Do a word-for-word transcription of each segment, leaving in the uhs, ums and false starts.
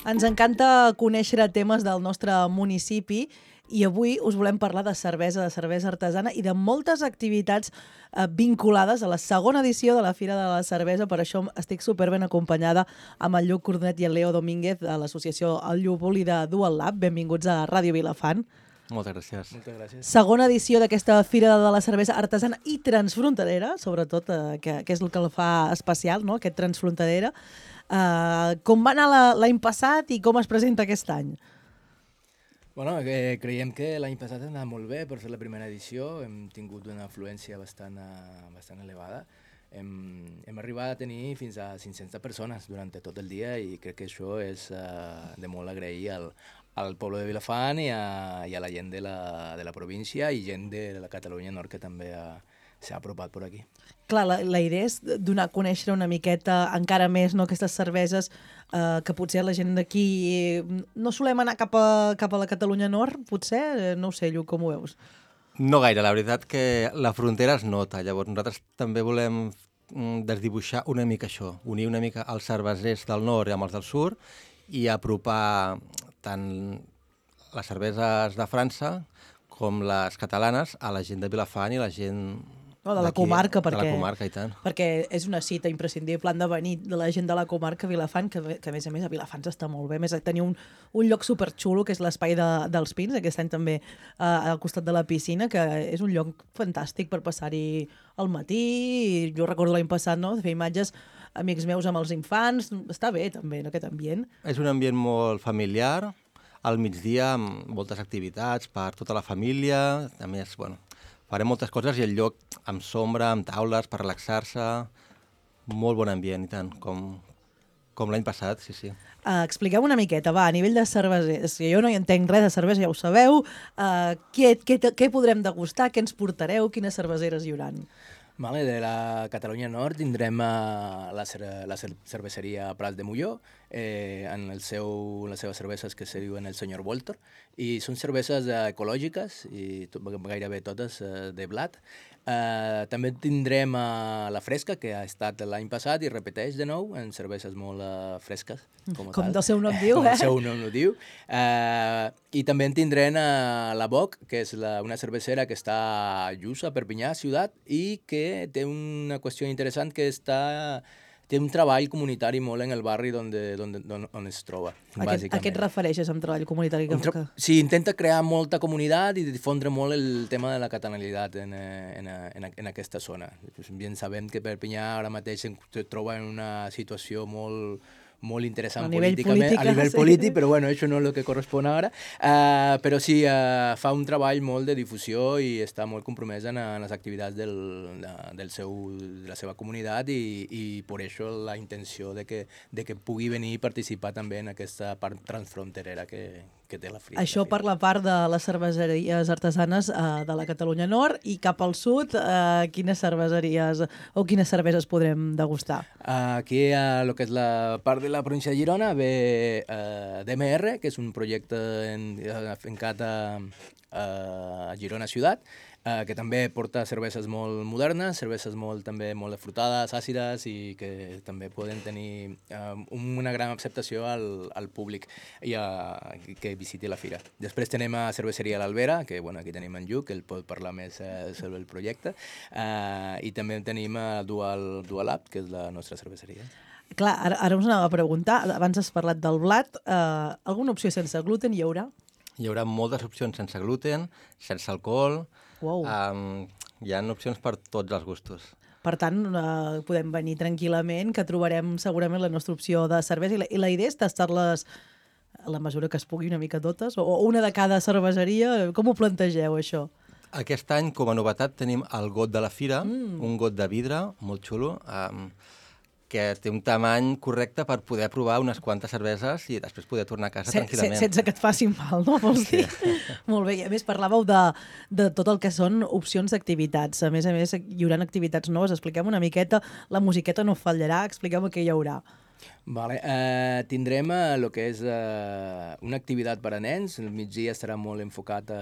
Ens encanta conèixer temes del nostre municipi i avui us volem parlar de cervesa, de cervesa artesana i de moltes activitats eh, vinculades a la segona edició de la Fira de la Cervesa. Per això estic superben acompanyada amb el Lluc Cornet i el Leo Domínguez de l'associació El Llúvol i de Dual Lab. Benvinguts a Ràdio Vilafant. Moltes gràcies. Moltes gràcies. Segona edició d'aquesta Fira de la Cervesa artesana i transfronterera, sobretot, eh, que, que és el que el fa especial, no? Aquest transfronterera. Eh, com va anar l'any passat i com es presenta aquest any? Bueno, eh, creiem que l'any passat ha anat molt bé per ser la primera edició, hem tingut una afluència bastant, uh, bastant elevada, hem, hem arribat a tenir fins a cinc-centes persones durant tot el dia i crec que això és uh, de molt agrair al, al poble de Vilafant i a, i a la gent de la, de la província i gent de la Catalunya Nord que també uh, s'ha apropat per aquí. Clar, la, la idea és donar a conèixer una miqueta encara més, no, aquestes cerveses eh, que potser la gent d'aquí no solem anar cap a, cap a la Catalunya Nord, potser? No ho sé, Lluc, com ho veus? No gaire, la veritat que la frontera es nota, llavors nosaltres també volem desdibuixar una mica això, unir una mica els cervesers del nord amb els del sud i apropar tant les cerveses de França com les catalanes a la gent de Vilafant i la gent No, de la comarca, perquè, de la comarca, i tant. perquè és una cita imprescindible, han de venir de la gent de la comarca a Vilafant, que, que a més a més a Vilafant està molt bé, a més teniu un, un lloc superxulo, que és l'espai de, dels Pins, aquest any també eh, al costat de la piscina, que és un lloc fantàstic per passar-hi al matí, i jo recordo l'any passat, no?, de fer imatges amics meus amb els infants, està bé també, no, aquest ambient. És un ambient molt familiar, al migdia amb moltes activitats per tota la família, a més, bueno, farem moltes coses i el lloc amb sombra, amb taules, per relaxar-se, molt bon ambient, i tant, com, com l'any passat, sí, sí. Uh, expliqueu una miqueta, va, a nivell de cerveses, que jo no hi entenc res de cervesa, ja ho sabeu, uh, què, què, què podrem degustar, què ens portareu, quines cerveseres hi hauran? Vale, de la Catalunya Nord tindrem uh, la, cer la cer cerveseria Prats de Molló, eh, en el seu, les seves cerveses que se diuen el Senyor Voltor, i són cerveses uh, ecològiques, i tot, gairebé totes uh, de blat. Uh, també tindrem uh, la Fresca, que ha estat l'any passat i repeteix de nou en cerveses molt uh, fresques. Com, com tal. del seu nom diu, com eh? Com el seu nom diu. Uh, I també en tindrem uh, la Boc, que és la, una cervesera que està a Lluça, Perpinyà, ciutat, i que té una qüestió interessant que està... té un treball comunitari molt en el barri on, de, on, on, on es troba, aquest, bàsicament. A què et refereixes amb treball comunitari? Que... Que... Sí, intenta crear molta comunitat i difondre molt el tema de la catalanitat en, en, en, en aquesta zona. Bien sabem que Perpinyà ara mateix es troba en una situació molt... molt interessant a nivell políticament, política, a nivell sí. polític, però bueno, això no és el que correspon ara. Uh, però sí, uh, fa un treball molt de difusió i està molt compromès en, en les activitats del, de, del seu, de la seva comunitat i, i per això la intenció de que, de que pugui venir i participar també en aquesta part transfronterera que, que té la Fira. Això per la part de les cerveseries artesanes uh, de la Catalunya Nord, i cap al sud, uh, quines cerveseries o quines cerveses podrem degustar? Uh, aquí, a uh, lo que és la part de la província de Girona, ve uh, D M R, que és un projecte en, encat a, a Girona Ciutat, uh, que també porta cerveses molt modernes, cerveses molt, també molt frutades, àcides, i que també poden tenir uh, una gran acceptació al, al públic i a, que visiti la fira. Després tenem a Cerveseria l'Albera, que bueno, aquí tenim en Lluc, que el pot parlar més uh, sobre el projecte, uh, i també tenim a Dual, Dual Lab, que és la nostra cerveseria. Clar, ara, ara us anava a preguntar, abans has parlat del blat, eh, alguna opció sense gluten hi haurà? Hi haurà moltes opcions sense gluten, sense alcohol, Wow. um, hi ha opcions per tots els gustos. Per tant, eh, podem venir tranquil·lament, que trobarem segurament la nostra opció de cervesa, i la, i la idea és tastar-les a la mesura que es pugui una mica totes, o, o una de cada cerveseria. Com ho plantegeu, això? Aquest any, com a novetat, tenim el got de la fira, Mm. un got de vidre molt xulo, um, que té un tamany correcte per poder provar unes quantes cerveses i després poder tornar a casa Se, tranquil·lament. se, sense que et faci mal, no? Vols dir? Sí. Molt bé. I a més, parlàveu de, de tot el que són opcions d'activitats. A més a més, hi haurà activitats noves. Expliquem una miqueta. La musiqueta no fallarà. Expliquem què hi haurà. Vale. Uh, tindrem el uh, que és uh, una activitat per a nens. El migdia estarà molt enfocat a,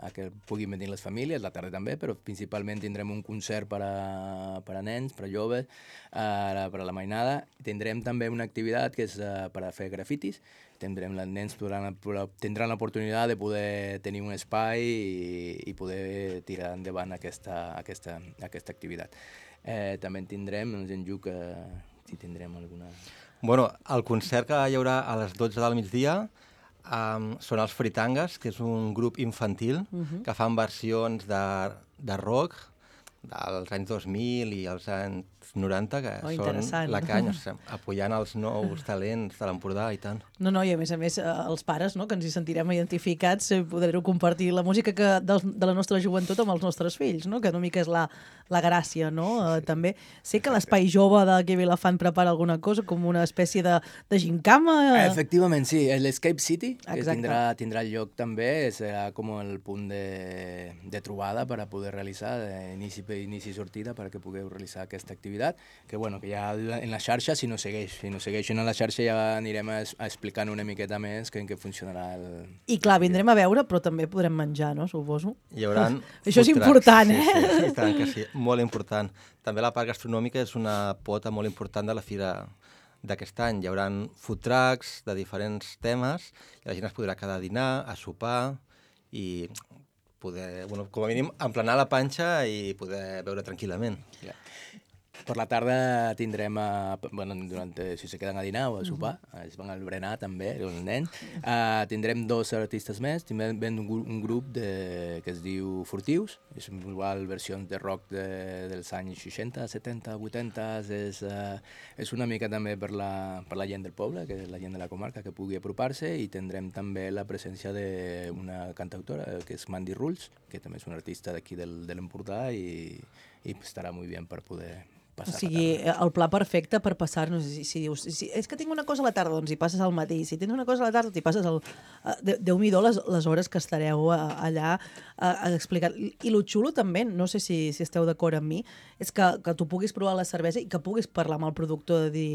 a que puguin venir les famílies, la tarda també, però principalment tindrem un concert per a, per a nens, per a joves, uh, per a la mainada. Tindrem també una activitat que és uh, per a fer grafitis, tindrem, els nens podran, tindran l'oportunitat de poder tenir un espai i, i poder tirar endavant aquesta, aquesta, aquesta activitat. Eh, també en tindrem, doncs en Lluc, eh, si tindrem alguna... Bueno, el concert que hi haurà a les dotze del migdia um, són els Fritangas, que és un grup infantil uh-huh. que fan versions de, de rock dels anys dos mil i els anys noranta, que oh, són la canya, o sigui, apoyant els nous talents de l'Empordà i tant. No, no, i a més a més, eh, els pares, no?, que ens hi sentirem identificats, eh, podreu compartir la música que, de, de la nostra joventut amb els nostres fills, no?, que una mica és la, la gràcia, no?, sí, sí. Eh, també. Sé que l'Espai Jove d'aquí a Vilafant prepara alguna cosa, com una espècie de, de gincama. Eh... Efectivament, sí. l'Escape City, que tindrà, tindrà lloc també, serà com el punt de, de trobada per a poder realitzar, inici, inici i sortida, perquè pugueu realitzar aquesta activitat, que bueno, que ja en la xarxa, si no segueix, si no segueixen a la xarxa ja anirem a, a explicant una miqueta més que en què funcionarà el... I clar, vindrem a veure, però també podrem menjar, no?, suposo. Hi haurà... Això és important, eh? Sí, sí, i tant que sí, molt important. També la part gastronòmica és una pota molt important de la fira d'aquest any. Hi haurà food trucks de diferents temes i la gent es podrà quedar a dinar, a sopar i poder, bueno, com a mínim, emplenar la panxa i poder beure tranquil·lament. Yeah. Per la tarda tindrem, a, bueno, durant, si se queden a dinar o a sopar, uh-huh. es van al berenar també, els nens, uh, tindrem dos artistes més, tindrem un, un grup de, que es diu Furtius, és igual versions de rock de, dels anys seixanta, setanta, vuitanta, és, uh, és una mica també per la, per la gent del poble, que és la gent de la comarca, que pugui apropar-se, i tindrem també la presència d'una cantautora, que és Mandy Rules, que també és una artista d'aquí del, de l'Empordà i, i estarà molt bé per poder... O sigui, el pla perfecte per passar, no sé si, si dius, si, és que tinc una cosa a la tarda, doncs hi passes al matí, si tens una cosa a la tarda, t'hi passes al... Déu-m'hi-do les, les hores que estareu allà a, a explicar. I lo xulo també, no sé si, si esteu d'acord amb mi, és que, que tu puguis provar la cervesa i que puguis parlar amb el productor de dir,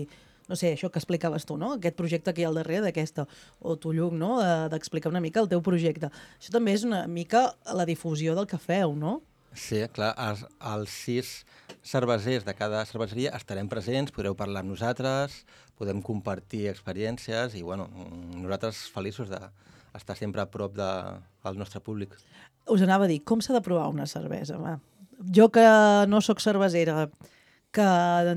no sé, això que explicaves tu, no?, aquest projecte que hi ha al darrere d'aquesta, o tu, Lluc, no?, d'explicar una mica el teu projecte. Això també és una mica la difusió del que feu, no? Sí, clar, els, els sis cervesers de cada cerveseria estarem presents, podreu parlar amb nosaltres, podem compartir experiències i, bueno, nosaltres feliços d'estar sempre a prop de, del nostre públic. Us anava a dir, com s'ha de provar una cervesa? Va? Jo que no sóc cervesera, que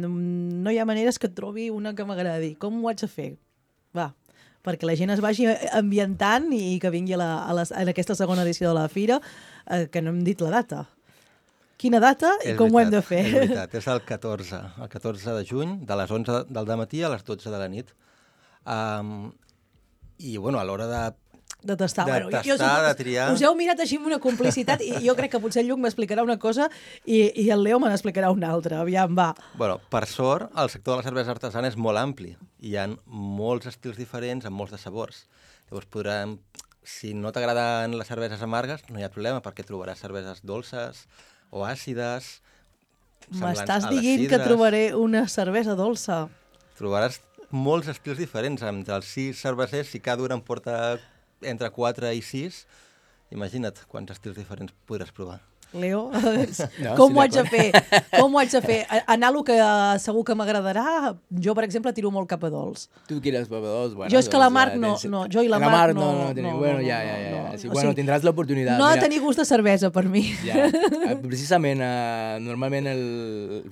no hi ha maneres que et trobi una que m'agradi, com ho haig de fer? Va, perquè la gent es vagi ambientant i que vingui a, la, a, les, a aquesta segona edició de la fira, eh, que no hem dit la data. Quina data i és com veritat, ho hem de fer? És veritat, és el catorze, el catorze de juny, de les onze del dematí a les dotze de la nit. Um, I, bueno, a l'hora de... De tastar. De bueno, tastar, jo, jo, de triar... Us heu mirat així amb una complicitat i jo crec que potser el Lluc m'explicarà una cosa i, i el Leo me n'explicarà una altra. Aviam, va. Bueno, per sort, el sector de la cervesa artesana és molt ampli. Hi ha molts estils diferents amb molts de sabors. Llavors podrem... Si no t'agraden les cerveses amargues, no hi ha problema, perquè trobaràs cerveses dolces o àcides. M'estàs dient que trobaré una cervesa dolça? Trobaràs molts estils diferents. Entre els sis cervesers, si cada un en porta entre quatre i sis, imagina't quants estils diferents podràs provar. Leo, no, com sí, ho haig de fer? Com ho haig de fer? Anar a lo que segur que m'agradarà, jo, per exemple, tiro molt cap a dolç. Tu quieres cap a dolç? Bueno, jo és que la Marc ja, no, tens... no, jo i la, la Marc no... no, no, no, no, bueno, no, ja, ja, ja. no, Sí, no. bueno, O sigui, tindràs l'oportunitat. No ha de tenir gust de cervesa, per mi. Ja. Precisament, uh, normalment el,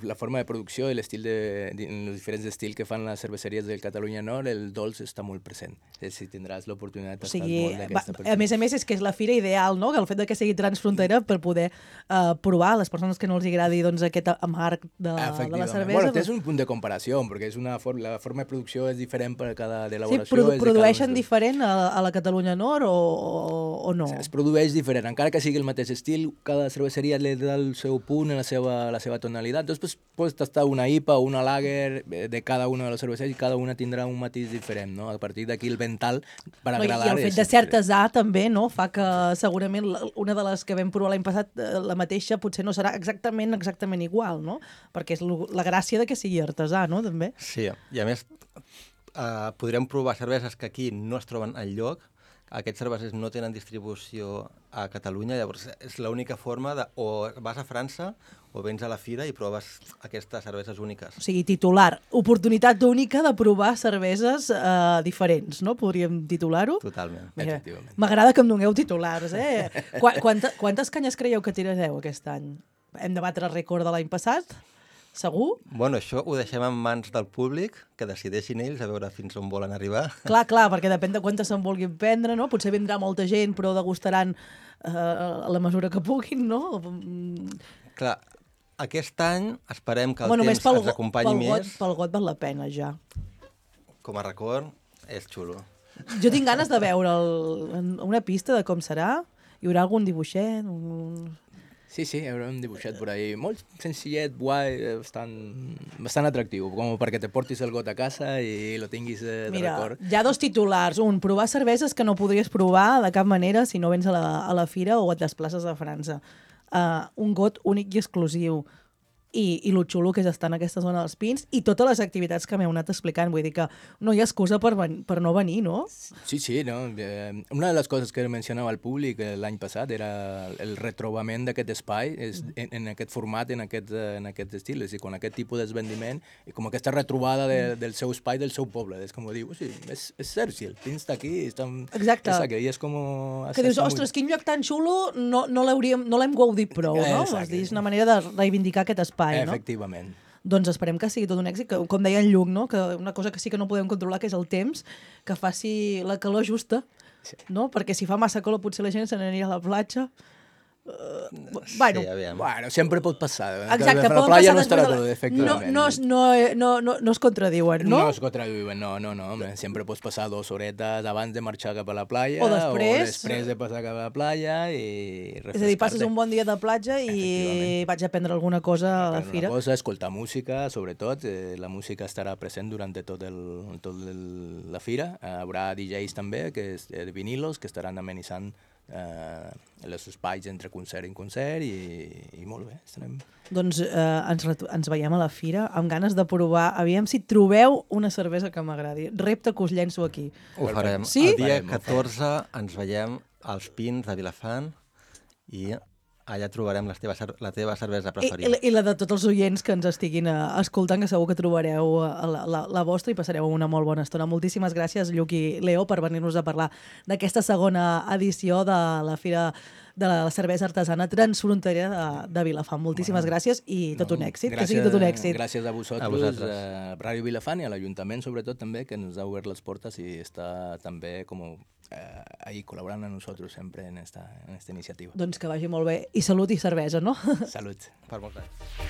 la forma de producció i l'estil de, de, els diferents estils que fan les cerveseries del Catalunya Nord, el dolç està molt present. Si tindràs l'oportunitat o d'estar sigui, molt d'aquesta va, persona. a més a més, és que és la fira ideal, no?, que el fet de que sigui transfrontera per poder uh, provar a les persones que no els agradi doncs, aquest amarg de, de la cervesa. Bueno, tens un punt de comparació, perquè és una for la forma de producció és diferent per cada d'elaboració. Sí, produ és produeixen de diferent a, a la Catalunya Nord o, o, o no? Es produeix diferent, encara que sigui el mateix estil, cada cerveseria li da el seu punt, la seva, la seva tonalitat. Després pots tastar una I P A o una lager de cada una de les cerveseries i cada una tindrà un matís diferent, no? A partir d'aquí el vental per no, agradar... I el fet de ser artesà també, no?, fa que segurament una de les que vam provar l'any passat, la mateixa, potser no serà exactament exactament igual, no? Perquè és la gràcia de que sigui artesà, no?, també. Sí, i a més eh, podrem provar cerveses que aquí no es troben enlloc. Aquests cervesers no tenen distribució a Catalunya, llavors és l'única forma de o vas a França o vens a la fira i proves aquestes cerveses úniques. O sigui, titular, oportunitat única de provar cerveses eh, diferents, no? Podríem titular-ho? Totalment. Mira, Efectivament. m'agrada que em doneu titulars, eh? Qua, quanta, quantes canyes creieu que tirareu aquest any? Hem de batre el rècord de l'any passat? Segur? Bueno, això ho deixem en mans del públic, que decideixin ells a veure fins on volen arribar. Clar, clar, perquè depèn de quantes se'n vulguin prendre, no? Potser vindrà molta gent, però degustaran eh, a la mesura que puguin, no? Clar, aquest any esperem que el Bueno, temps pel, ens acompanyi pel got, més. pel got val la pena, ja. Com a record, és xulo. Jo tinc ganes de veure el, una pista de com serà. Hi haurà algun dibuixet? Un... Sí, sí, haurà un dibuixet por ahí. Molt senzillet, guai, bastant, bastant atractiu, com perquè te portis el got a casa i lo tinguis eh, de Mira, record. hi ha dos titulars. Un, provar cerveses que no podries provar de cap manera si no vens a la, a la fira o et desplaces a França. Uh, un got únic i exclusiu. I, i lo xulo que és estar en aquesta zona dels Pins i totes les activitats que m'heu anat explicant. Vull dir que no hi ha excusa per, ven per no venir, no? Sí, sí, no? Eh, una de les coses que mencionava al públic eh, l'any passat era el retrobament d'aquest espai és, en, en aquest format, en aquest, eh, en aquest estil, és a dir, con aquest tipus d'esvendiment i com aquesta retrobada de, del seu espai, del seu poble. És com dir, sí, és, és cert, si el Pins està aquí, està, Exacte. és aquí, i és com... Que dius, ostres, quin lloc tan xulo, no, no l'hem no gaudit prou, no? Exacte. És, dir, és una manera de reivindicar aquest espai, no? Efectivament. Doncs esperem que sigui tot un èxit, que, com deia en Lluc, no? Que una cosa que sí que no podem controlar, que és el temps, que faci la calor justa, Sí. no? Perquè si fa massa calor potser la gent se n'aniria a la platja. Uh, bueno, Sí, aviam. Bueno, sempre pot passar. exacte, la poden playa passar no estarà després de tot, la... no, efectivament. no, es- no, no, no, no es contradiuen, no? No es contradiuen, no, no, no. Home, sempre pots passar dues horetes abans de marxar cap a la playa O després. o després de passar cap a la playa i És a dir, passes un bon dia de platja i Efectivament. vaig a prendre alguna cosa a la Una fira. cosa, escoltar música, sobretot. Eh, la música estarà present durant tot, el, tot el, la fira. Eh, haurà D Js també, que és, eh, de vinilos, que estaran amenitzant eh, els espais entre concert i concert i, i molt bé. Estarem... Doncs eh, ens, ens veiem a la fira amb ganes de provar. Aviam si trobeu una cervesa que m'agradi. Repte que us llenço aquí. Ho farem. Sí? El dia Farem, ho farem. catorze ens veiem als Pins de Vilafant i allà trobarem les teves, cer- la teva cervesa I, preferida. i, I la de tots els oients que ens estiguin eh, escoltant, que segur que trobareu eh, la, la, la vostra i passareu una molt bona estona. Moltíssimes gràcies, Lluc i Leo, per venir-nos a parlar d'aquesta segona edició de la Fira de la Cervesa Artesana Transfronterera de, de Vilafant. Moltíssimes bueno, gràcies i tot un èxit, que sigui tot un èxit. Gràcies a vosaltres, A a, vosaltres. a Ràdio Vilafant i a l'Ajuntament, sobretot, també, que ens ha obert les portes i està també com eh, ahí col·laborant amb nosaltres sempre en esta, en esta iniciativa. Doncs que vagi molt bé. I salut i cervesa, no? Salut. Per molts anys.